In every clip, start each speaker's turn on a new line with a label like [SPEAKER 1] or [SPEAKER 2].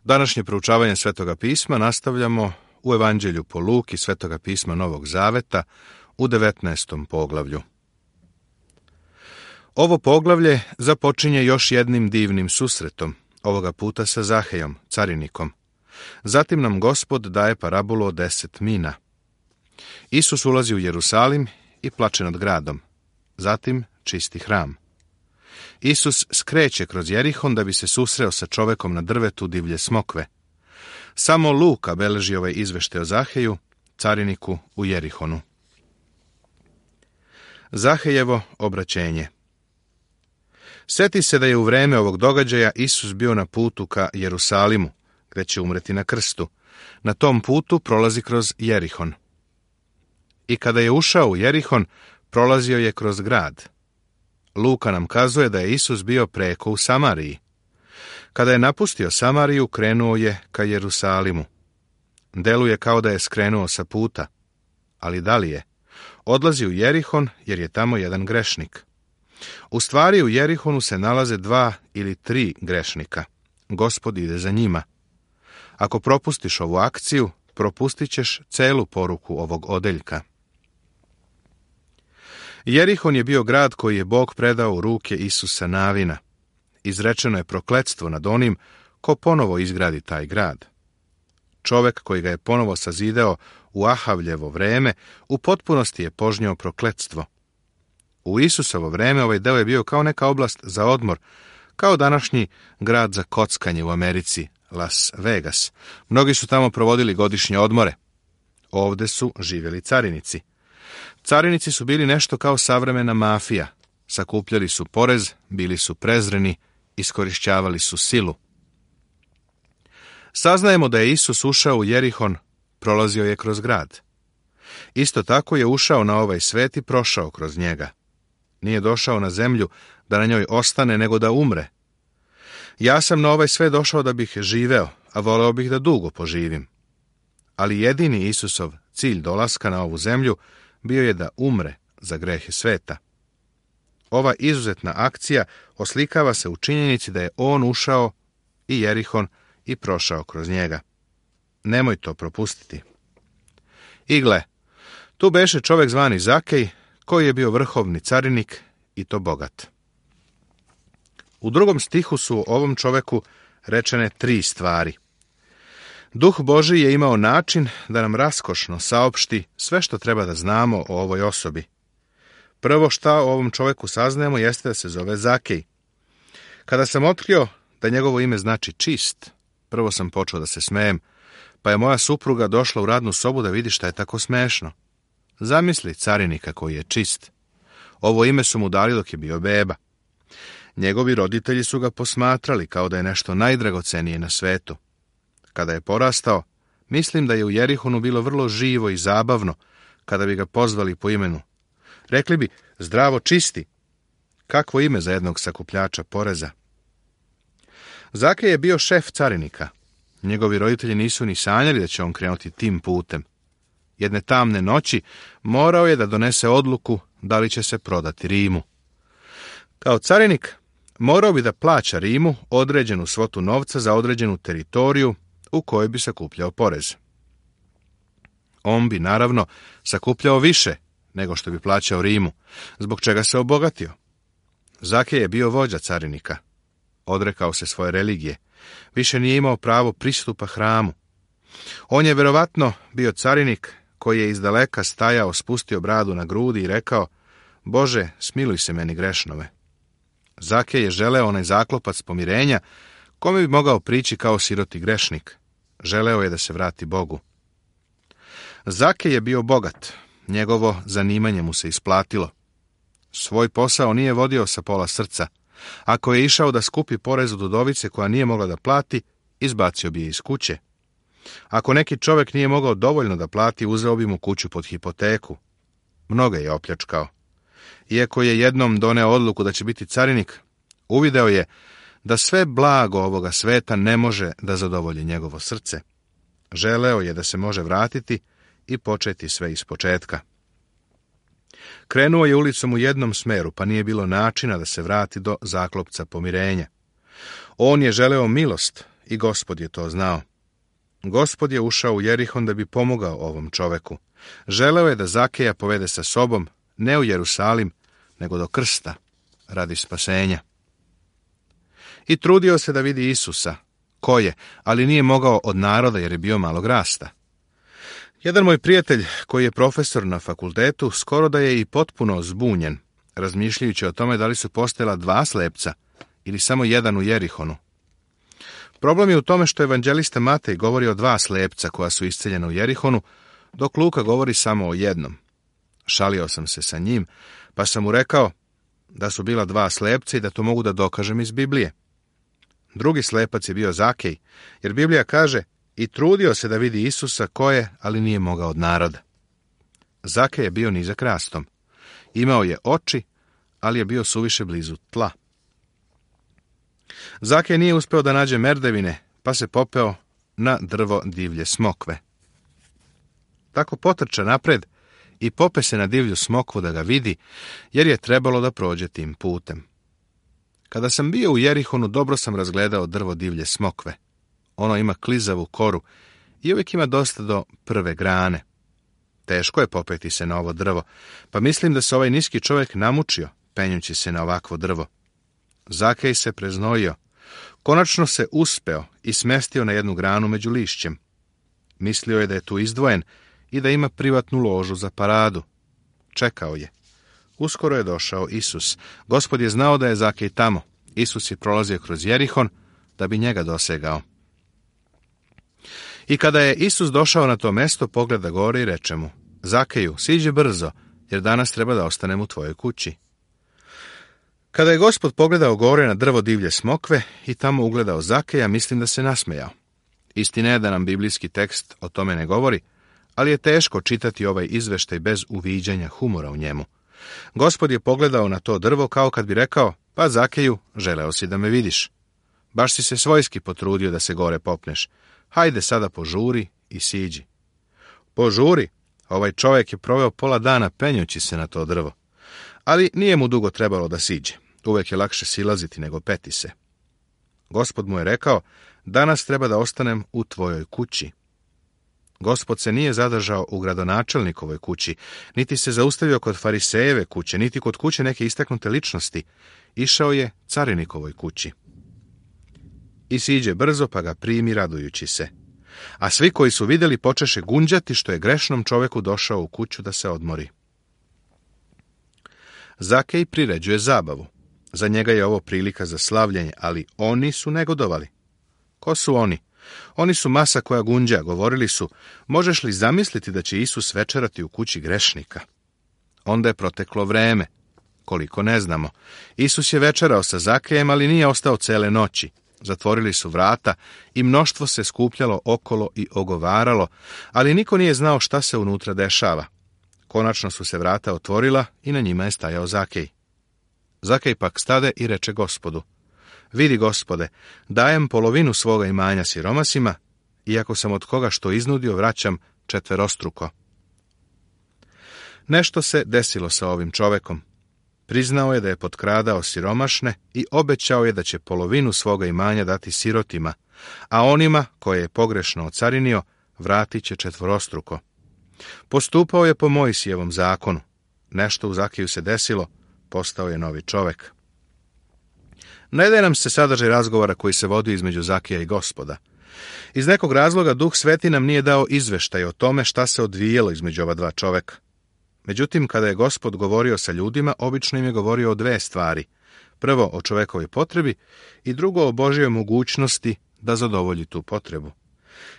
[SPEAKER 1] Današnje proučavanje Svetoga pisma nastavljamo u Evanđelju po Luki Svetoga pisma Novog Zaveta u 19. poglavlju. Ovo poglavlje započinje još jednim divnim susretom, ovoga puta sa Zahejom, carinikom. Zatim nam Gospod daje parabolu o 10 mina. Isus ulazi u Jerusalim i plače nad gradom. Zatim čisti hram. Isus skreće kroz Jerihon da bi se susreo sa čovekom na drvetu divlje smokve. Samo Luka beleži ovaj izveštaj o Zaheju, cariniku u Jerihonu. Zahejevo obraćenje. Sjeti se da je u vreme ovog događaja Isus bio na putu ka Jerusalimu, gdje će umreti na krstu. Na tom putu prolazi kroz Jerihon. I kada je ušao u Jerihon, prolazio je kroz grad. Luka nam kazuje da je Isus bio preko u Samariji. Kada je napustio Samariju, krenuo je ka Jerusalimu. Deluje kao da je skrenuo sa puta. Ali da li je? Odlazi u Jerihon jer je tamo jedan grešnik. U stvari u Jerihonu se nalaze 2 ili 3 grešnika. Gospod ide za njima. Ako propustiš ovu akciju, propustit ćeš celu poruku ovog odeljka. Jerihon je bio grad koji je Bog predao u ruke Isusa Navina. Izrečeno je prokletstvo nad onim ko ponovo izgradi taj grad. Čovek koji ga je ponovo sazidao u Ahavljevo vreme u potpunosti je požnjao prokletstvo. U Isusovo vreme ovaj deo je bio kao neka oblast za odmor, kao današnji grad za kockanje u Americi, Las Vegas. Mnogi su tamo provodili godišnje odmore. Ovde su živjeli carinici. Carinici su bili nešto kao savremena mafija. Sakupljali su porez, bili su prezreni, iskorišćavali su silu. Saznajemo da je Isus ušao u Jerihon, prolazio je kroz grad. Isto tako je ušao na ovaj svet i prošao kroz njega. Nije došao na zemlju da na njoj ostane, nego da umre. Ja sam na ovaj svet došao da bih živeo, a voleo bih da dugo poživim. Ali jedini Isusov cilj dolaska na ovu zemlju bio je da umre za grehe sveta. Ova izuzetna akcija oslikava se u činjenici da je on ušao i Jerihon i prošao kroz njega. Nemoj to propustiti. I gle, tu beše čovjek zvani Zakej, koji je bio vrhovni carinik i to bogat. U 2. stihu su ovom čoveku rečene 3 stvari. Duh Božji je imao način da nam raskošno saopšti sve što treba da znamo o ovoj osobi. Prvo šta o ovom čoveku saznajemo jeste da se zove Zakej. Kada sam otkrio da njegovo ime znači čist, prvo sam počeo da se smejem, pa je moja supruga došla u radnu sobu da vidi šta je tako smešno. Zamisli carinika koji je čist. Ovo ime su mu dali dok je bio beba. Njegovi roditelji su ga posmatrali kao da je nešto najdragocenije na svetu. Kada je porastao, mislim da je u Jerihonu bilo vrlo živo i zabavno kada bi ga pozvali po imenu. Rekli bi, zdravo čisti. Kakvo ime za jednog sakupljača poreza. Zakej je bio šef carinika. Njegovi roditelji nisu ni sanjali da će on krenuti tim putem. Jedne tamne noći morao je da donese odluku da li će se prodati Rimu. Kao carinik morao bi da plaća Rimu određenu svotu novca za određenu teritoriju u kojoj bi sakupljao porez. On bi, naravno, sakupljao više nego što bi plaćao Rimu, zbog čega se obogatio. Zakej je bio vođa carinika. Odrekao se svoje religije. Više nije imao pravo pristupa hramu. On je verovatno bio carinik koji je izdaleka stajao, spustio bradu na grudi i rekao, Bože, smiluj se meni grešnove. Zakej je želeo onaj zaklopac pomirenja kome bi mogao prići kao siroti grešnik. Želeo je da se vrati Bogu. Zakej je bio bogat. Njegovo zanimanje mu se isplatilo. Svoj posao nije vodio sa pola srca. Ako je išao da skupi porez od udovice koja nije mogla da plati, izbacio bi je iz kuće. Ako neki čovjek nije mogao dovoljno da plati, uzeo bi mu kuću pod hipoteku. Mnoge je opljačkao. Iako je jednom doneo odluku da će biti carinik, uvideo je da sve blago ovoga sveta ne može da zadovolji njegovo srce. Želeo je da se može vratiti i početi sve ispočetka. Krenuo je ulicom u jednom smeru, pa nije bilo načina da se vrati do zaklopca pomirenja. On je želeo milost i Gospod je to znao. Gospod je ušao u Jerihon da bi pomogao ovom čoveku. Želeo je da Zakeja povede sa sobom, ne u Jerusalim, nego do krsta, radi spasenja. I trudio se da vidi Isusa, ko je, ali nije mogao od naroda jer je bio malog rasta. Jedan moj prijatelj, koji je profesor na fakultetu, skoro da je i potpuno zbunjen, razmišljajući o tome da li su postojala 2 slepca ili samo jedan u Jerihonu. Problem je u tome što evanđelista Matej govori o 2 slepca koja su isceljena u Jerihonu, dok Luka govori samo o jednom. Šalio sam se sa njim, pa sam mu rekao da su bila 2 slepca i da to mogu da dokažem iz Biblije. Drugi slepac je bio Zakej, jer Biblija kaže i trudio se da vidi Isusa ko je, ali nije mogao od naroda. Zakej je bio nizak rastom. Imao je oči, ali je bio suviše blizu tla. Zakej nije uspeo da nađe merdevine, pa se popeo na drvo divlje smokve. Tako potrča napred i pope se na divlju smokvu da ga vidi, jer je trebalo da prođe tim putem. Kada sam bio u Jerihonu, dobro sam razgledao drvo divlje smokve. Ono ima klizavu koru i uvijek ima dosta do prve grane. Teško je popeti se na ovo drvo, pa mislim da se ovaj niski čovjek namučio, penjući se na ovakvo drvo. Zakej se preznojio. Konačno se uspeo i smestio na jednu granu među lišćem. Mislio je da je tu izdvojen i da ima privatnu ložu za paradu. Čekao je. Uskoro je došao Isus. Gospod je znao da je Zakej tamo. Isus je prolazio kroz Jerihon da bi njega dosegao. I kada je Isus došao na to mesto, pogleda gore i reče mu: Zakeju, siđi brzo, jer danas treba da ostanem u tvojoj kući. Kada je Gospod pogledao gore na drvo divlje smokve i tamo ugledao Zakeja, mislim da se nasmejao. Istina je da nam biblijski tekst o tome ne govori, ali je teško čitati ovaj izveštaj bez uviđanja humora u njemu. Gospod je pogledao na to drvo kao kad bi rekao: pa Zakeju, želeo si da me vidiš. Baš si se svojski potrudio da se gore popneš. Hajde sada požuri i siđi. Požuri? Ovaj čovjek je proveo pola dana penjući se na to drvo. Ali nije mu dugo trebalo da siđe. Uvijek je lakše silaziti nego peti se. Gospod mu je rekao: danas treba da ostanem u tvojoj kući. Gospod se nije zadržao u gradonačelnikovoj kući, niti se zaustavio kod farisejeve kuće, niti kod kuće neke istaknute ličnosti. Išao je carinikovoj kući. I siđe brzo, pa ga primi radujući se. A svi koji su vidjeli počeše gunđati što je grešnom čoveku došao u kuću da se odmori. Zakej priređuje zabavu. Za njega je ovo prilika za slavljenje, ali oni su negodovali. Ko su oni? Oni su masa koja gunđa. Govorili su: možeš li zamisliti da će Isus večerati u kući grešnika? Onda je proteklo vreme. Koliko ne znamo. Isus je večerao sa Zakejem, ali nije ostao cele noći. Zatvorili su vrata i mnoštvo se skupljalo okolo i ogovaralo, ali niko nije znao šta se unutra dešava. Konačno su se vrata otvorila i na njima je stajao Zakej. Zakej pak stade i reče Gospodu: vidi, Gospode, dajem polovinu svoga imanja siromasima, iako sam od koga što iznudio vraćam 4-struko. Nešto se desilo sa ovim čovekom. Priznao je da je potkradao siromašne i obećao je da će polovinu svoga imanja dati sirotima, a onima koje je pogrešno ocarinio vratit će 4-struko. Postupao je po Mojsijevom zakonu. Nešto u Zakeju se desilo, postao je novi čovek. Ne daje nam se sadržaj razgovora koji se vodio između Zakeja i Gospoda. Iz nekog razloga Duh Sveti nam nije dao izveštaj o tome šta se odvijelo između ova 2 čoveka. Međutim, kada je Gospod govorio sa ljudima, obično im je govorio o 2 stvari. Prvo, o čovekovoj potrebi i drugo, o Božjoj mogućnosti da zadovolji tu potrebu.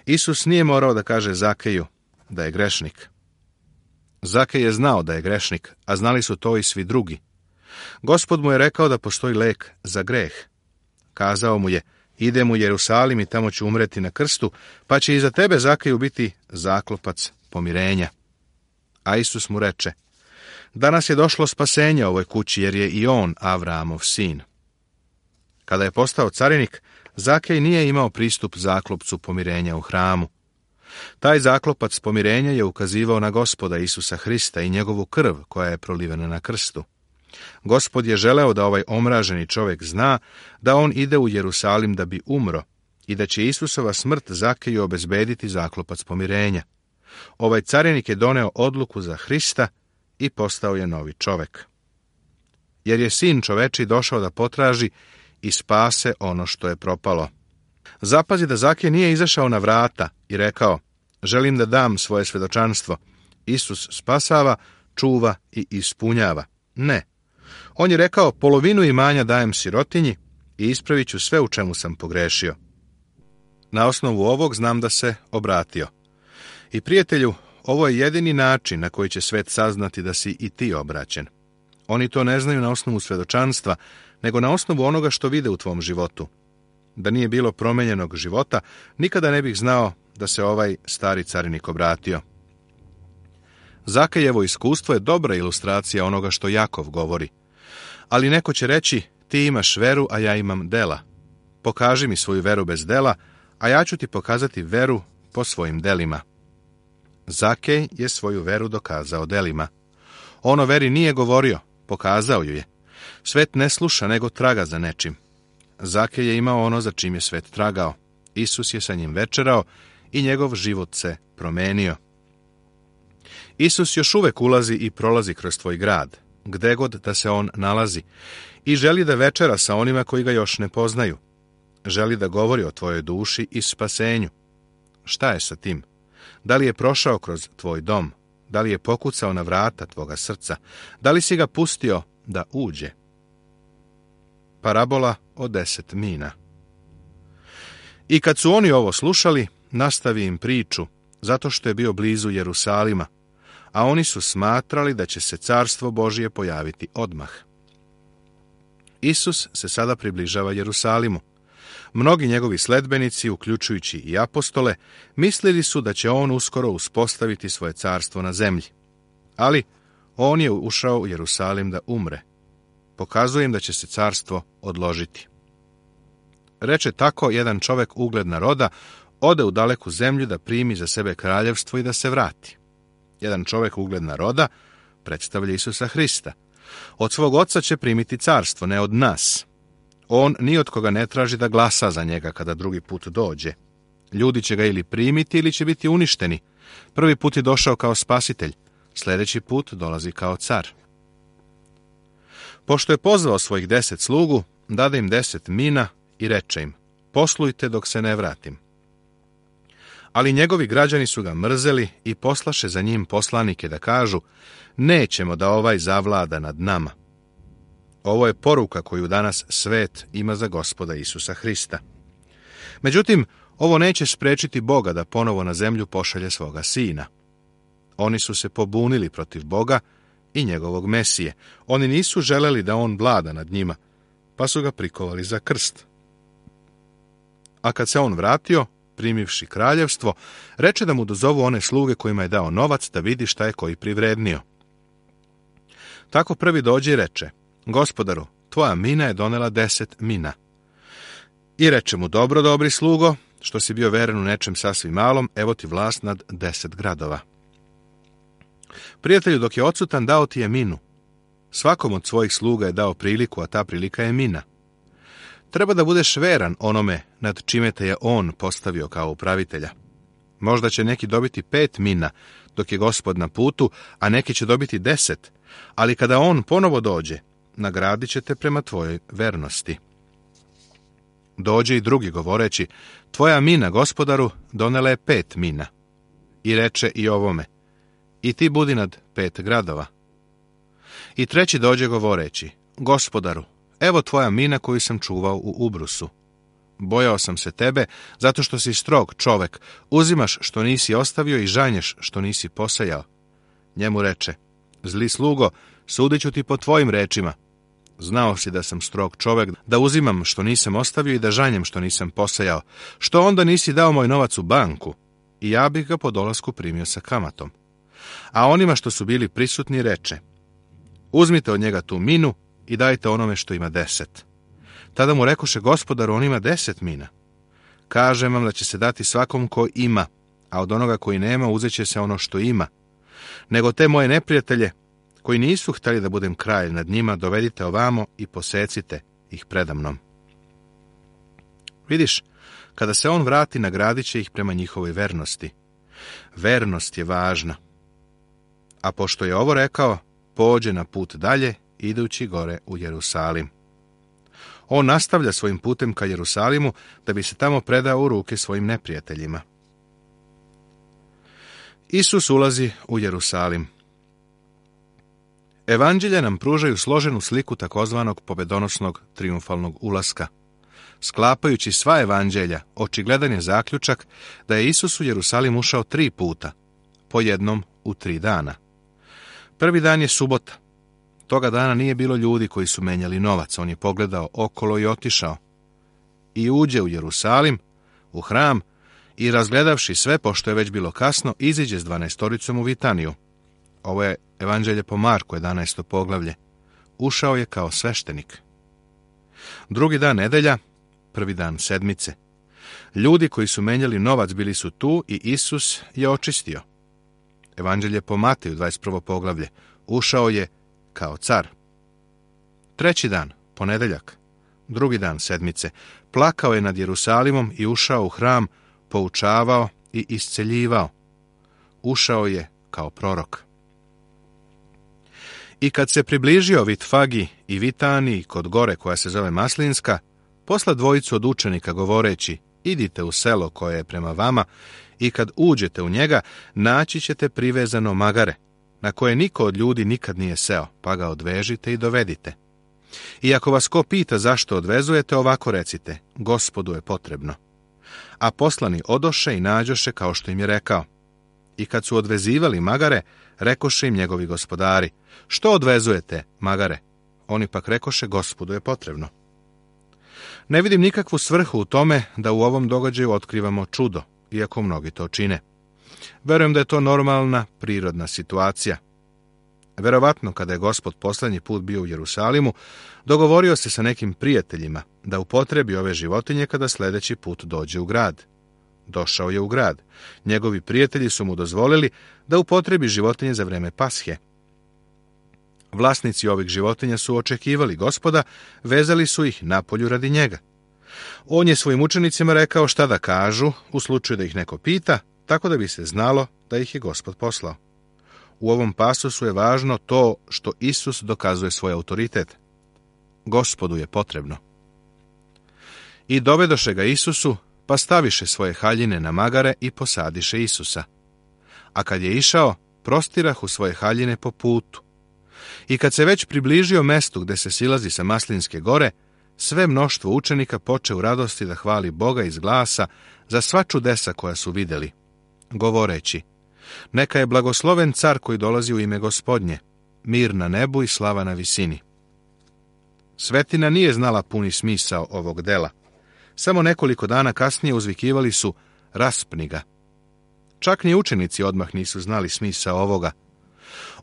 [SPEAKER 1] Isus nije morao da kaže Zakeju da je grešnik. Zakej je znao da je grešnik, a znali su to i svi drugi. Gospod mu je rekao da postoji lek za greh. Kazao mu je: idem u Jerusalim i tamo ću umreti na krstu, pa će iza tebe, Zakeju, biti zaklopac pomirenja. A Isus mu reče: danas je došlo spasenje ovoj kući, jer je i on Avraamov sin. Kada je postao carinik, Zakej nije imao pristup zaklopcu pomirenja u hramu. Taj zaklopac pomirenja je ukazivao na Gospoda Isusa Hrista i njegovu krv koja je prolivena na krstu. Gospod je želeo da ovaj omraženi čovjek zna da on ide u Jerusalim da bi umro i da će Isusova smrt Zakeju obezbediti zaklopac pomirenja. Ovaj carinik je doneo odluku za Hrista i postao je novi čovek. Jer je sin čoveči došao da potraži i spase ono što je propalo. Zapazi da Zakej nije izašao na vrata i rekao: želim da dam svoje svedočanstvo. Isus spasava, čuva i ispunjava. Ne. On je rekao: polovinu imanja dajem sirotinji i ispravit ću sve u čemu sam pogrešio. Na osnovu ovog znam da se obratio. I prijatelju, ovo je jedini način na koji će svet saznati da si i ti obraćen. Oni to ne znaju na osnovu svedočanstva, nego na osnovu onoga što vide u tvom životu. Da nije bilo promenjenog života, nikada ne bih znao da se ovaj stari carinik obratio. Zakejevo iskustvo je dobra ilustracija onoga što Jakov govori. Ali neko će reći: ti imaš veru, a ja imam dela. Pokaži mi svoju veru bez dela, a ja ću ti pokazati veru po svojim delima. Zakej je svoju veru dokazao delima. On o veri nije govorio, pokazao ju je. Svet ne sluša, nego traga za nečim. Zakej je imao ono za čim je svet tragao. Isus je sa njim večerao i njegov život se promenio. Isus još uvek ulazi i prolazi kroz tvoj grad, gde god da se on nalazi, i želi da večera sa onima koji ga još ne poznaju. Želi da govori o tvojoj duši i spasenju. Šta je sa tim? Da li je prošao kroz tvoj dom? Da li je pokucao na vrata tvoga srca? Da li si ga pustio da uđe? Parabola o 10 mina. I kad su oni ovo slušali, nastavi im priču, zato što je bio blizu Jerusalima, a oni su smatrali da će se carstvo Božije pojaviti odmah. Isus se sada približava Jerusalimu. Mnogi njegovi sledbenici, uključujući i apostole, mislili su da će on uskoro uspostaviti svoje carstvo na zemlji. Ali on je ušao u Jerusalim da umre. Pokazuje im da će se carstvo odložiti. Reče tako jedan čovek ugledna roda, ode u daleku zemlju da primi za sebe kraljevstvo i da se vrati. Jedan čovek ugledna roda predstavlja Isusa Hrista. Od svog oca će primiti carstvo, ne od nas. On ni od koga ne traži da glasa za njega kada drugi put dođe. Ljudi će ga ili primiti ili će biti uništeni. Prvi put je došao kao spasitelj, sljedeći put dolazi kao car. Pošto je pozvao svojih 10 slugu, dade im 10 mina i reče im: poslujte dok se ne vratim. Ali njegovi građani su ga mrzeli i poslaše za njim poslanike da kažu: nećemo da ovaj zavlada nad nama. Ovo je poruka koju danas svet ima za Gospoda Isusa Hrista. Međutim, ovo neće sprečiti Boga da ponovo na zemlju pošalje svoga sina. Oni su se pobunili protiv Boga i njegovog Mesije. Oni nisu želeli da on vlada nad njima, pa su ga prikovali za krst. A kad se on vratio, primivši kraljevstvo, reče da mu dozovu one sluge kojima je dao novac da vidi šta je koji privrednio. Tako prvi dođe i reče: Gospodaru, tvoja mina je donela 10 mina. I reče mu: dobro, dobri slugo, što si bio veren u nečem sasvim malom, evo ti vlast nad 10 gradova. Prijatelju, dok je odsutan, dao ti je minu. Svakom od svojih sluga je dao priliku, a ta prilika je mina. Treba da budeš veran onome nad čime te je on postavio kao upravitelja. Možda će neki dobiti 5 mina, dok je Gospod na putu, a neki će dobiti 10, ali kada on ponovo dođe, nagradit će te prema tvojoj vernosti. Dođe i drugi govoreći: tvoja mina, Gospodaru, donela je 5 mina. I reče i ovome: i ti budi nad 5 gradova. I treći dođe govoreći: Gospodaru, evo tvoja mina koju sam čuvao u ubrusu. Bojao sam se tebe, zato što si strog čovek, uzimaš što nisi ostavio i žanješ što nisi posejao. Njemu reče: zli slugo, sudit ću ti po tvojim rečima. Znao si da sam strog čovek, da uzimam što nisam ostavio i da žanjem što nisam posejao. Što onda nisi dao moj novac u banku? I ja bih ga po dolasku primio sa kamatom. A onima što su bili prisutni reče: uzmite od njega tu minu i dajte onome što ima 10. Tada mu rekoše: Gospodaru, on ima 10 mina. Kažem vam da će se dati svakom ko ima, a od onoga koji nema uzet će se ono što ima. Nego te moje neprijatelje, koji nisu htjeli da budem kralj nad njima, dovedite ovamo i posecite ih predamnom. Vidiš, Kada se on vrati, nagradit će ih prema njihovoj vernosti. Vernost je važna. A pošto je ovo rekao, pođe na put dalje, idući gore u Jerusalim. On nastavlja svojim putem ka Jerusalimu, da bi se tamo predao u ruke svojim neprijateljima. Isus ulazi u Jerusalim. Evanđelja nam pružaju složenu sliku takozvanog pobedonosnog trijumfalnog ulaska. Sklapajući sva evanđelja, očigledan je zaključak da je Isus u Jerusalim ušao 3 puta, po jednom u 3 dana. Prvi dan je subota. Toga dana nije bilo ljudi koji su menjali novac. On je pogledao okolo i otišao. I uđe u Jerusalim, u hram, i razgledavši sve, pošto je već bilo kasno, iziđe s 12 u Vitaniju. Ovo je Evanđelje po Marku, 11. poglavlje. Ušao je kao sveštenik. Drugi dan nedelja, prvi dan sedmice. Ljudi koji su menjali novac bili su tu i Isus je očistio. Evanđelje po Mateju, 21. poglavlje. Ušao je kao car. Treći dan, ponedeljak, drugi dan sedmice. Plakao je nad Jerusalimom i ušao u hram, poučavao i isceljivao. Ušao je kao prorok. I kad se približio Vitfagi i Vitaniji kod gore koja se zove Maslinska, posla 2 od učenika govoreći, idite u selo koje je prema vama i kad uđete u njega, naći ćete privezano magare, na koje niko od ljudi nikad nije seo, pa ga odvežite i dovedite. I ako vas ko pita zašto odvezujete, ovako recite, Gospodu je potrebno. A poslani odoše i nađoše kao što im je rekao. I kad su odvezivali magare, rekoše im njegovi gospodari, što odvezujete magare? Oni pak rekoše, Gospodu je potrebno. Ne vidim nikakvu svrhu u tome da u ovom događaju otkrivamo čudo, iako mnogi to čine. Verujem da je to normalna, prirodna situacija. Verovatno, kada je Gospod poslednji put bio u Jerusalimu, dogovorio se sa nekim prijateljima da upotrebi ove životinje kada sledeći put dođe u grad. Došao je u grad. Njegovi prijatelji su mu dozvolili da upotrebi životinje za vreme Pashe. Vlasnici ovih životinja su očekivali Gospoda, vezali su ih napolju radi njega. On je svojim učenicima rekao šta da kažu u slučaju da ih neko pita, tako da bi se znalo da ih je Gospod poslao. U ovom pasusu je važno to što Isus dokazuje svoj autoritet. Gospodu je potrebno. I dovedoše ga Isusu, pa staviše svoje haljine na magare i posadiše Isusa. A kad je išao, prostirahu svoje haljine po putu. I kad se već približio mestu gde se silazi sa Maslinske gore, sve mnoštvo učenika poče u radosti da hvali Boga iz glasa za sva čudesa koja su videli, govoreći, neka je blagosloven car koji dolazi u ime Gospodnje, mir na nebu i slava na visini. Svetina nije znala puni smisao ovog dela. Samo nekoliko dana kasnije uzvikivali su, raspni ga. Čak ni učenici odmah nisu znali smisao ovoga.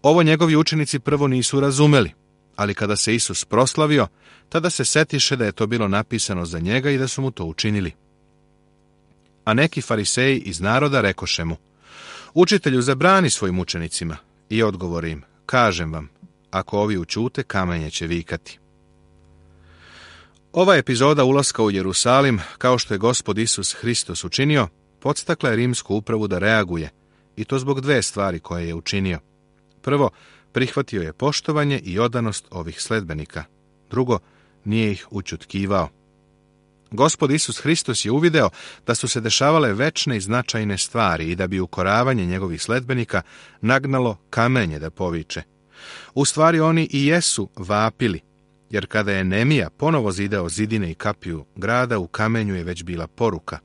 [SPEAKER 1] Ovo njegovi učenici prvo nisu razumeli, ali kada se Isus proslavio, tada se setiše da je to bilo napisano za njega i da su mu to učinili. A neki fariseji iz naroda rekoše mu, učitelju, zabrani svojim učenicima. I odgovori im, kažem vam, ako ovi ućute, kamenje će vikati. Ova epizoda ulaska u Jerusalim, kao što je Gospod Isus Hristos učinio, podstakla je rimsku upravu da reaguje, i to zbog 2 stvari koje je učinio. Prvo, prihvatio je poštovanje i odanost ovih sledbenika. Drugo, nije ih ućutkivao. Gospod Isus Hristos je uvideo da su se dešavale večne i značajne stvari i da bi ukoravanje njegovih sledbenika nagnalo kamenje da poviče. U stvari oni i jesu vapili, jer kada je Nemija ponovo zidao zidine i kapiju grada, u kamenju je već bila poruka.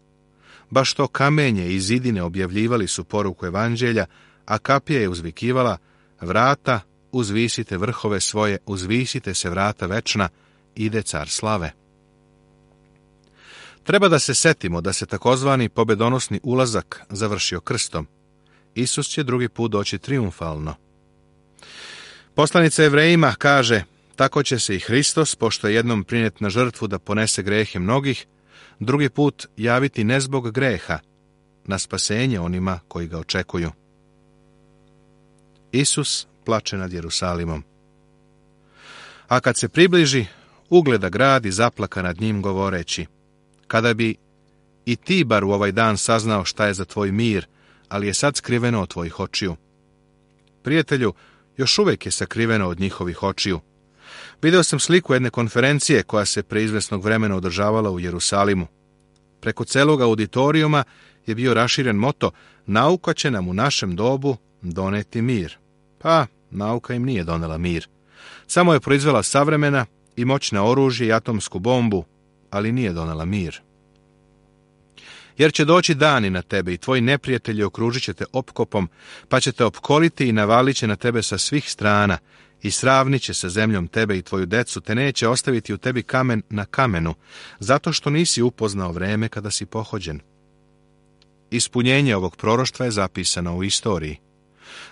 [SPEAKER 1] Baš to kamenje i zidine objavljivali su poruku evanđelja, a kapija je uzvikivala, vrata, uzvisite vrhove svoje, uzvisite se vrata večna, ide car slave. Treba da se setimo da se takozvani pobedonosni ulazak završio krstom. Isus će drugi put doći trijumfalno. Poslanica Jevrejima kaže, tako će se i Hristos, pošto je jednom prinijet na žrtvu da ponese grehe mnogih, drugi put javiti ne zbog greha, na spasenje onima koji ga očekuju. Isus plače nad Jerusalimom. A kad se približi, ugleda grad i zaplaka nad njim govoreći, kada bi i ti bar u ovaj dan saznao šta je za tvoj mir, ali je sad skriveno od tvojih očiju. Prijatelju, još uvijek je sakriveno od njihovih očiju. Video sam sliku jedne konferencije koja se pre izvesnog vremena održavala u Jerusalimu. Preko celog auditorijuma je bio raširen moto: nauka će nam u našem dobu doneti mir. Pa, nauka im nije donela mir. Samo je proizvela savremena i moćna oružje i atomsku bombu, ali nije donela mir. Jer će doći dani na tebe i tvoji neprijatelji okružit će te opkopom, pa će te opkoliti i navalit će na tebe sa svih strana i sravnit će sa zemljom tebe i tvoju decu, te neće ostaviti u tebi kamen na kamenu, zato što nisi upoznao vreme kada si pohođen. Ispunjenje ovog proroštva je zapisano u istoriji.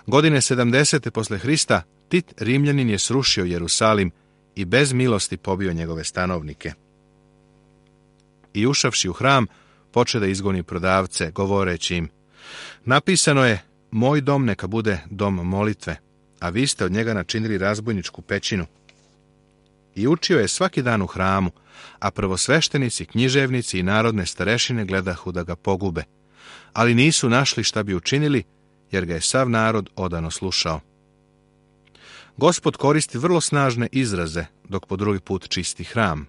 [SPEAKER 1] Godine 70. posle Hrista Tit Rimljanin je srušio Jerusalim i bez milosti pobio njegove stanovnike. I ušavši u hram, poče da izgoni prodavce, govoreći im: napisano je, moj dom neka bude dom molitve, a vi ste od njega načinili razbojničku pećinu. I učio je svaki dan u hramu, a prvosveštenici, književnici i narodne starešine gledahu da ga pogube, ali nisu našli šta bi učinili, jer ga je sav narod odano slušao. Gospod koristi vrlo snažne izraze, dok po drugi put čisti hram.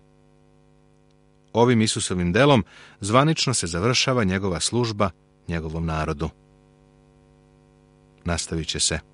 [SPEAKER 1] Ovim Isusovim delom zvanično se završava njegova služba njegovom narodu. Nastavit će se.